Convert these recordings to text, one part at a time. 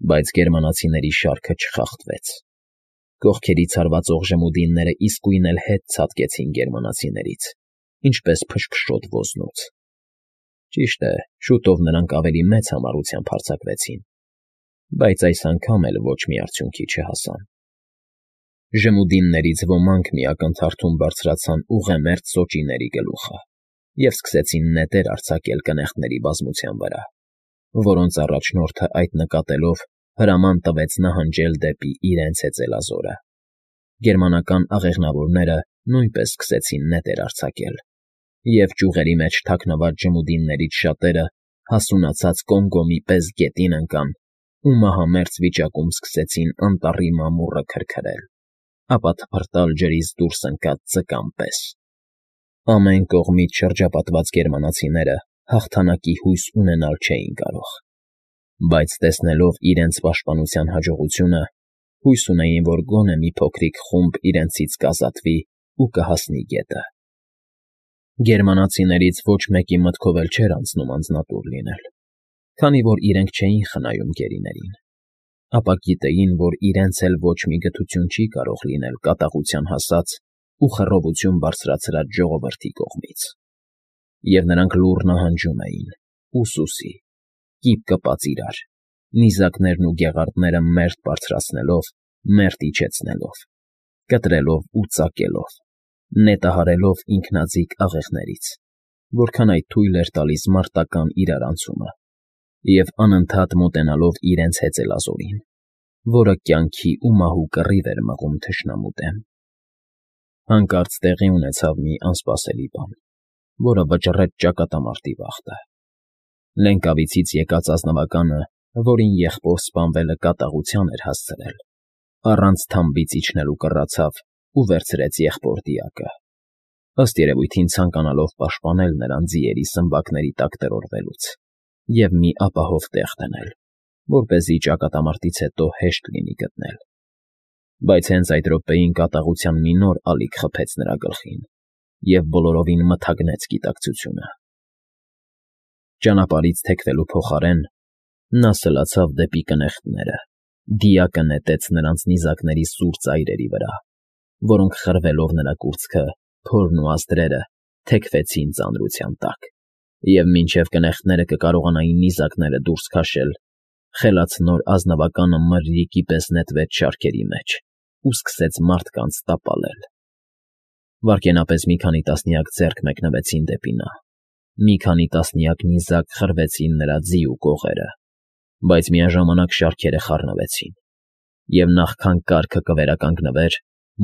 Բայց գերմանացիների շարքը չխախտվեց։ Կողքերից հարվածող ժմուդինները իսկույն էլ հետ ցատկեցին գերմանացիներից, ինչպես փշփշոտ ոզնուց։ Ճիշտ է, շուտով նրանք ավելի մեծ համառությամբ հարձակվեցին, բայց այս անգամ էլ ոչ մի արդյունքի չհասան։ Ժմուդիններից ոմանք մի ակնթարթում բարձրացան ուղեմերձ սոճիների գլուխը և սկսեցին նետեր արձակել կնեղտների բազմության վրա, որոնց առաջնորդը այդ նկատելով հրաման տվեց նահանջել դեպի իրենց հեծելազորը։ Գերմանական աղեղնավորները նույնպես սկսեցին նետեր արձակել, և ճյուղերի մեջ թաքնված ժմուդիններից շատերը հասունացած կոմկոմի պես գետին ընկան ու մահամերձ վիճակում սկսեցին անտառի մամուռը քրքրել, ապա թփրտալ ջրից դուրս ընկած ձկան պես։ Ամեն կողմից շրջապատված գերմանացիները հաղթանակի հույս ունենալ չէին կարող, բայց տեսնելով իրենց պաշտպանության հաջողությունը, հույս ունեին, որ գոնե մի փոքրիկ խումբ իրենցից կազատվի ու կհասնի գետը։ Գերմանացիներից ոչ մեկի մտքով էլ չէր անցնում անձնատուր լինել, քանի որ իրենք չէին խնայում գերիներին, ապա գիտեին, որ իրենց էլ ոչ մի գթություն չի կարող լինել կատաղության հասած ու խռովություն բարձրացրած ժողովրդի կողմից։ Եվ նրանք լուռ նահանջում էին, ուսուսի, կիպ կպած իրար, նիզակներն ու գեղարդները մերթ բարձրացնելով, մերթ իջեցնելով, կտրելով ու ծակելով, նետահարելով ինքնաձիգ աղեղներից, որքան այդ թույլ էր տալիս մարտական իրարանցումը, և անընդհատ մոտենալով իրենց հեծելազորին, որը կյանքի ու մահու կռիվ էր մղում թշնամու դեմ։ Հանկարծ տեղի ունեցավ մի անսպասելի բան, որը վճռեց ճակատամարտի վախտը։ Լենկավիցից եկած ազնվականը, որին եղբոր սպանվելը կատաղության էր հասցրել, առանց թամբից իջնելու կռացավ ու վերցրեց եղբոր դիակը, ըստ երևույթին ցանկանալով պաշտպանել նրան ձիերի սմբակների տակ տրորվելուց և մի ապահով տեղ դնել, որպեսզի ճակատամարտից հետո հեշտ լինի գտնել։ Բայց հենց այդ րոպեին կատաղության մի նոր ալիք խփեց նրա գլխին և բոլորովին մթագնեց գիտակցությունը։ Ճանապարհից թեքվելու փոխարեն նա սլացավ դեպի կնեղտները, դիակը նետեց նրանց նիզակների սուր ծայրերի վրա, որոնք խրվելով նրա կուրծքը, փորն ու ազդրերը թեքվեցին ծանրության տակ, և մինչև կնեղտները կկարողանային նիզակները դուրս քաշել, խելացնոր ազնվականը մրրիկի պես նետվեց շարքերի մեջ ու սկսեց մարդկանց տապալել։ Վայրկենապես մի քանի տասնյակ ձեռք մեկնվեցին դեպի նա, մի քանի տասնյակ նիզակ խրվեցին նրա ձի ու կողերը, բայց միաժամանակ շարքերը խառնվեցին, և նախքան կառքը կվերականգնվեր,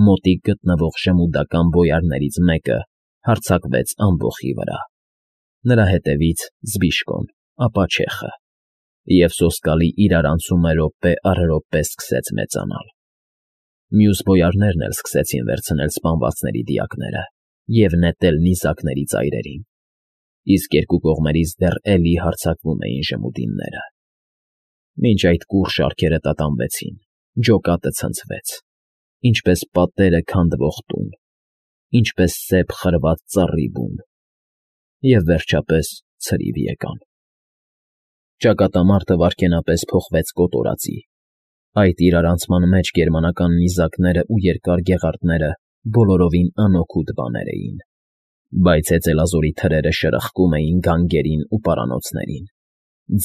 մոտիկ գտնվող ժմուդական բոյարներից մեկը հարձակվեց ամբոխի վրա, նրա հետևից Զբիշկոն, ապա չեխը, և սոսկալի իրարանցումը րոպե առ րոպե սկսեց մեծանալ։ Մյուս բոյարներն էլ սկսեցին վերցնել սպանվածների դիակները և նետել նիզակների ծայրերին, իսկ երկու կողմերից դեռ էլի հարձակվում էին ժմուդինները։ Մինչ այդ կուռ շարքերը տատանվեցին, ջոկատը ցնցվեց, ինչպես պատերը քանդվող տուն, ինչպես սեպ խրված ծառի բուն, և վերջապես ցրիվ եկան։ Ճակատամարտը վայրկենապես փոխվեց կոտորածի։ Այդ իրարանցման մեջ գերմանական նիզակները ու երկար գեղարդները բոլորովին անօգուտ բաներ էին, բայց հեծելազորի թրերը շրխկում էին գանգերին ու պարանոցներին,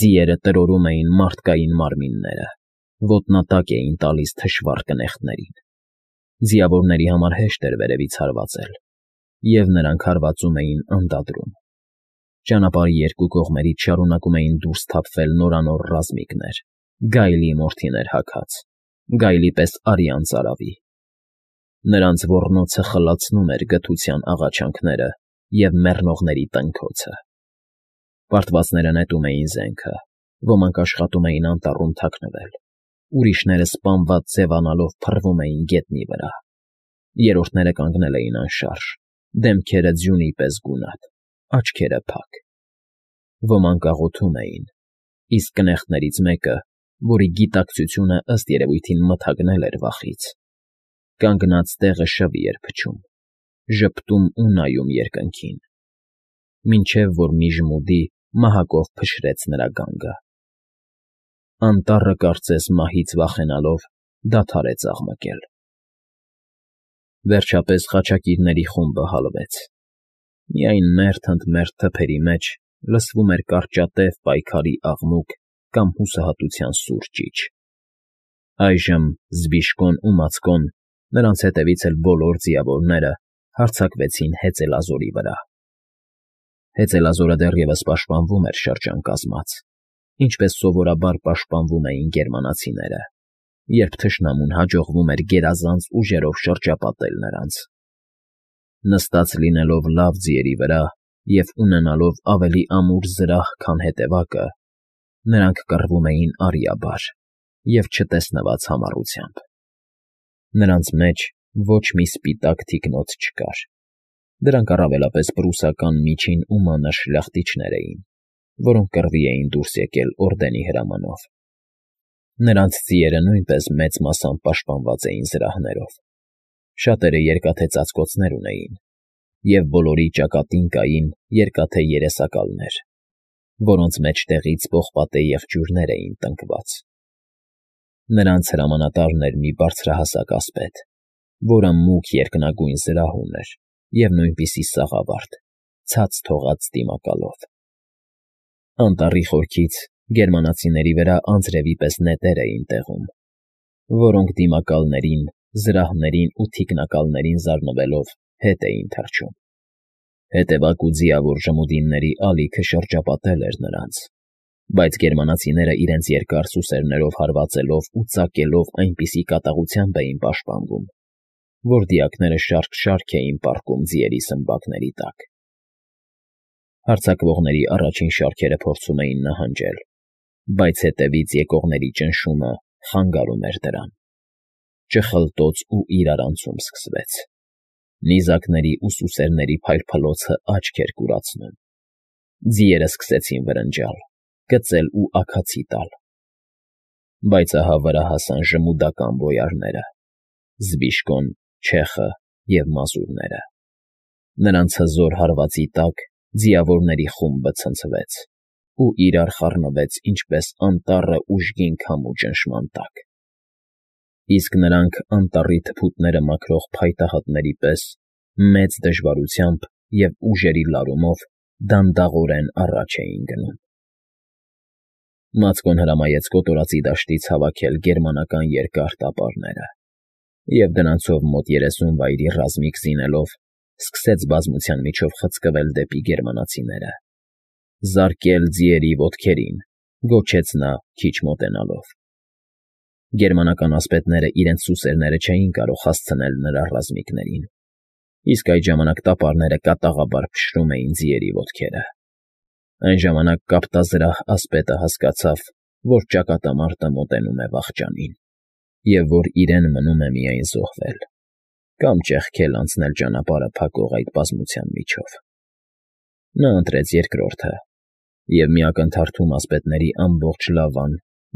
ձիերը տրորում էին մարդկային մարմինները, ոտնատակ էին տալիս թշվառ կնեղտներին։ Ձիավորների համար հեշտ էր վերևից հարվածել, և նրանք հարվածում էին անդադրում։ Ճանապարհի երկու կողմերից շարունակում էին դուրս թափվել նորանոր ռազմիկներ, գայլի մորթիներ հագած, գայլի պես արյան ծարավի։ Նրանց ոռնոցը խլացնում էր գթության աղաչանքները և մեռնողների տնքոցը։ Պարտվածները նետում էին զենքը, ոմանք աշխատում էին անտառում թաքնվել, ուրիշները սպանված ձևանալով փռվում էին գետնի վրա, երրորդները կանգնել էին անշարժ, դեմքերը ձյունի պես գունատ, աչքերը փակ։ Ոմանք աղոթում էին, իսկ կնեղտներից մեկը, որի գիտակցությունը ըստ երևույթին մթագնել էր վախից, կանգնած տեղը շվի էր փչում, ժպտում ու նայում երկնքին, մինչև որ մի ժմուդի մահակով փշրեց նրա գանգը։ Անտառը կարծես մահից վախենալով դադարեց աղմկել։ Վերջապես խաչակիրների խումբը հալվեց։ Միայն մերթ ընդ մերթ թփերի մեջ լսվում էր կարճատև պայքարի աղմուկ կամ հուսահատության սուր ճիչ։ Այժմ Զբիշկոն ու Մացկոն, նրանց հետևից էլ բոլոր ձիավորները հարձակվեցին հեծելազորի վրա։ Հեծելազորը դեռևս պաշտպանվում էր շրջանկազմած, ինչպես սովորաբար պաշտպանվում էին գերմանացիները, երբ թշնամուն հաջողվում էր գերազանց ուժերով շրջապատել նրանց։ Նստած լինելով լավ ձիերի վրա և ունենալով ավելի ամուր զրահ, քան հետևակը, նրանք կռվում էին արիաբար և չտեսնված համառությամբ։ Նրանց մեջ ոչ մի սպիտակ թիկնոց չկար։ Դրանք առավելապես պրուսական միջին ու մանր շլախտիչներ էին, որոնք կռվի էին դուրս եկել օրդենի հրամանով։ Նրանց ձիերը նույնպես մեծ մասամբ պաշտպանված էին զրահներով։ Շատերը երկաթե ծածկոցներ ունեին, և բոլորի ճակատին կային երկաթե երեսակալներ, որոնց մեջտեղից պողպատե եղջյուրներ էին տնկված։ Նրանց հրամանատարն էր մի բարձրահասակ ասպետ, որը մուգ երկնագույն զրահ ուներ և նույնպիսի սաղավարտ, ցած թողած դիմակալով։ Անտառի խորքից գերմանացիների վրա անձրևի պես նետեր էին տեղում, որոնք դիմակալներին, զրահներին ու թիկնակալներին զարնվելով հետ էին թռչում։ Հետևակ ու ձիավոր ժմուդինների ալիքը շրջապատել էր նրանց, բայց գերմանացիները իրենց երկար սուսերներով հարվածելով ու ծակելով այնպիսի կատաղությամբ էին պաշտպանվում, որ դիակները շարք-շարք էին պառկում ձիերի սմբակների տակ։ Հարձակվողների առաջին շարքերը փորձում էին նահանջել, բայց հետևից եկողների ճնշումը խանգարում էր դրան։ Ճխլտոց ու իրարանցում սկսվեց։ Նիզակների ու սուսերների փայլփլոցը աչք էր կուրացնում։ Ձիերը սկսեցին վրնջալ, կծել ու աքացի տալ։ Բայց ահա վրա հասան ժմուդական բոյարները՝ Զբիշկոն, Չեխը և մազուրները։ Նրանց հզոր հարվածի տակ ձիավորների խումբը ցնցվեց ու իրար խառնվեց ինչպես անտառը ուժգին քամու ճնշման տակ։ Իսկ նրանք անտառի թփուտները մաքրող փայտահատների պես մեծ դժվարությամբ և ուժերի լարումով դանդաղորեն առաջ էին գնում։ Մացկոն հրամայեց կոտորածի դաշտից հավաքել գերմանական երկար տապարները և դրանցով մոտ 30 վայրի ռազմիկ զինելով սկսեց բազմության միջով խցկվել դեպի գերմանացիները։ «Զարկել ձիերի ոտքերին», գոչեց նա քիչ մոտենալով։ Գերմանական ասպետները իրենց սուսերները չէին կարող հասցնել նրա ռազմիկներին, իսկ այդ ժամանակ տապարները կատաղաբար փշրում էին ձիերի ոտքերը։ Այն ժամանակ կապտազրահ ասպետը հասկացավ, որ ճակատամարտը մոտենում է վախճանին, և որ իրեն մնում է միայն զոհվել կամ ճեղքել անցնել ճանապարհը փակող այդ բազմության միջով։ Նա ընտրեց երկրորդը, և մի ակնթարթում ասպետների ամբողջ լավան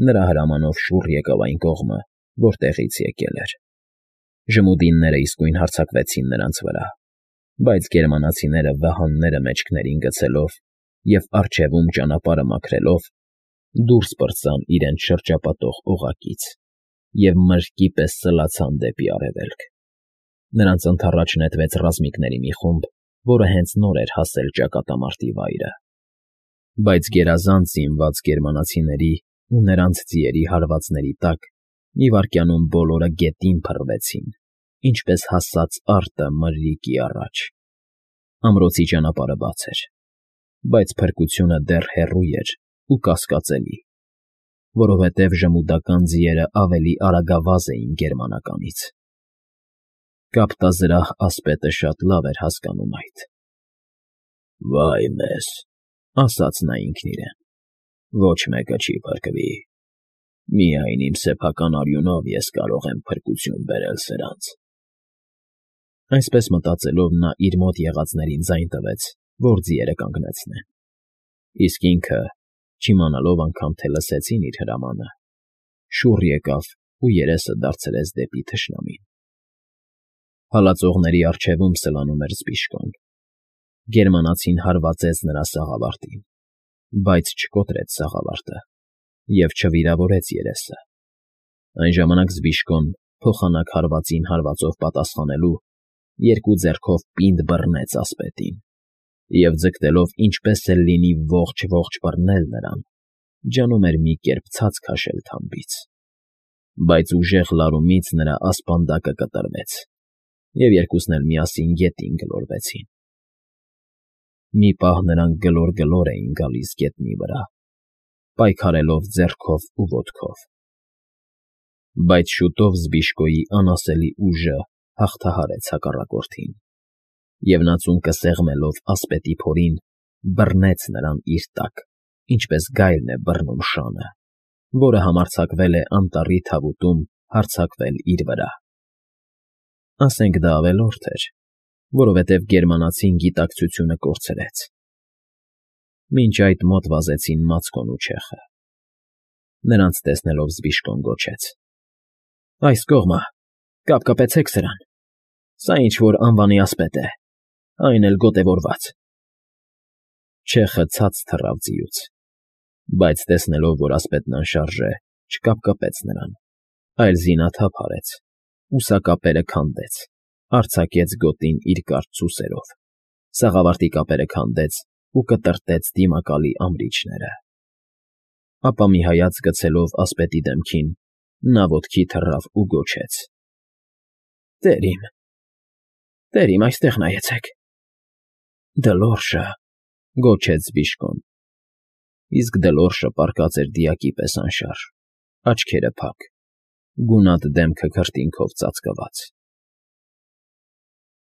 նրա հրամանով շուռ եկավ այն կողմը, որտեղից եկել էր։ Ժմուդինները իսկույն հարձակվեցին նրանց վրա, բայց գերմանացիները վահանները մեջքներին գցելով և առջևում ճանապարհը մաքրելով դուրս պրծան իրենց շրջապատող օղակից և մրրկի պես սլացան դեպի արևելք։ Նրանց ընդառաջ նետվեց ռազմիկների մի խումբ, որը հենց նոր էր հասել ճակատամարտի վայրը։ Բայց գերազանց զինված գերմանացիների ու նրանց ձիերի հարվածների տակ մի վայրկյանում բոլորը գետին փռվեցին, ինչպես հասած արտը մրրիկի առաջ։ Ամրոցի ճանապարհը բաց էր, բայց փրկությունը դեռ հեռու էր ու կասկածելի, որովհետև ժմուդական ձիերը ավելի արագավազ էին գերմանականից։ Կապտազրահ ասպետը շատ լավ էր հասկանում այդ։ «Վայ մեզ,֊ ասաց նա ինքն իրեն,֊ ոչ մեկը չի փրկվի։ Միայն իմ սեփական արյունով ես կարող եմ փրկություն բերել սրանց»։ Այսպես մտածելով նա իր մոտ եղածներին ձայն տվեց, որ ձիերը կանգնեցնեն։ Իսկ ինքը, չիմանալով անգամ, թե լսեցին իր հրամանը, շուռ եկավ ու երեսը դարձրեց դեպի թշնամին։ Հալածողների առջևում սլանում էր Զբիշկոն։ Գերմանացին հարվածեց նրա սաղավարտին, բայց չկոտրեց սաղավարտը, և չվիրավորեց երեսը։ Այն ժամանակ Զբիշկոն, փոխանակ հարվածին հարվածով պատասխանելու, երկու ձեռքով պինդ բռնեց ասպետին և, ձգտելով ինչպես էլ լինի ողջ բռնել նրան, ջանում էր մի կերպ ցած քաշել թամբից։ Բայց ուժեղ լարումից նրա ասպանդակը կտրվեց, և երկուսն էլ միասին գետին գլորվեցին։ Մի պահ նրանք գլոր էին գալիս գետնի վրա, պայքարելով ձեռքով ու ոտքով։ Բայց շուտով Զբիշկոյի անասելի ուժը հաղթահարեց հակառակորդին, և նա ծունկը սեղմելով ասպետի փորին, բռնեց նրան իր տակ, ինչպես գայլն է բռնում շանը, որը համարձակվել է անտառի թավուտում հարձակվել իր վրա։ Ասենք դա ավելորդ էր, որովհետև գերմանացին գիտակցությունը կորցրեց։ Մինչ այդ մոտ վազեցին Մացկոն ու չեխը։ Նրանց տեսնելով Զբիշկոն գոչեց. «Այս կողմը, կապկպեցեք սրան, սա ինչ֊որ անվանի ասպետ է, այն էլ գոտևորված»։ Չեխը ցած թռավ ձիուց, բայց տեսնելով, որ ասպետն անշարժ է, չկապկպեց նրան, այլ զինաթափ արեց, ուսակապերը քանդեց, արձակեց գոտին իր կարճ սուսերով, սաղավարտի կապերը քանդեց ու կտրտեց դիմակալի ամրիչները։ Ապա մի հայացք գցելով ասպետի դեմքին, նա ոտքի թռավ ու գոչեց. «Տեր իմ, այստեղ նայեցեք»։ «Դլորշը», գոչեց Զբիշկոն։ Իսկ Դլորշը պառկած էր դիակի պես անշարժ, աչքերը փակ, գունատ դեմքը քրտինքով ծածկված։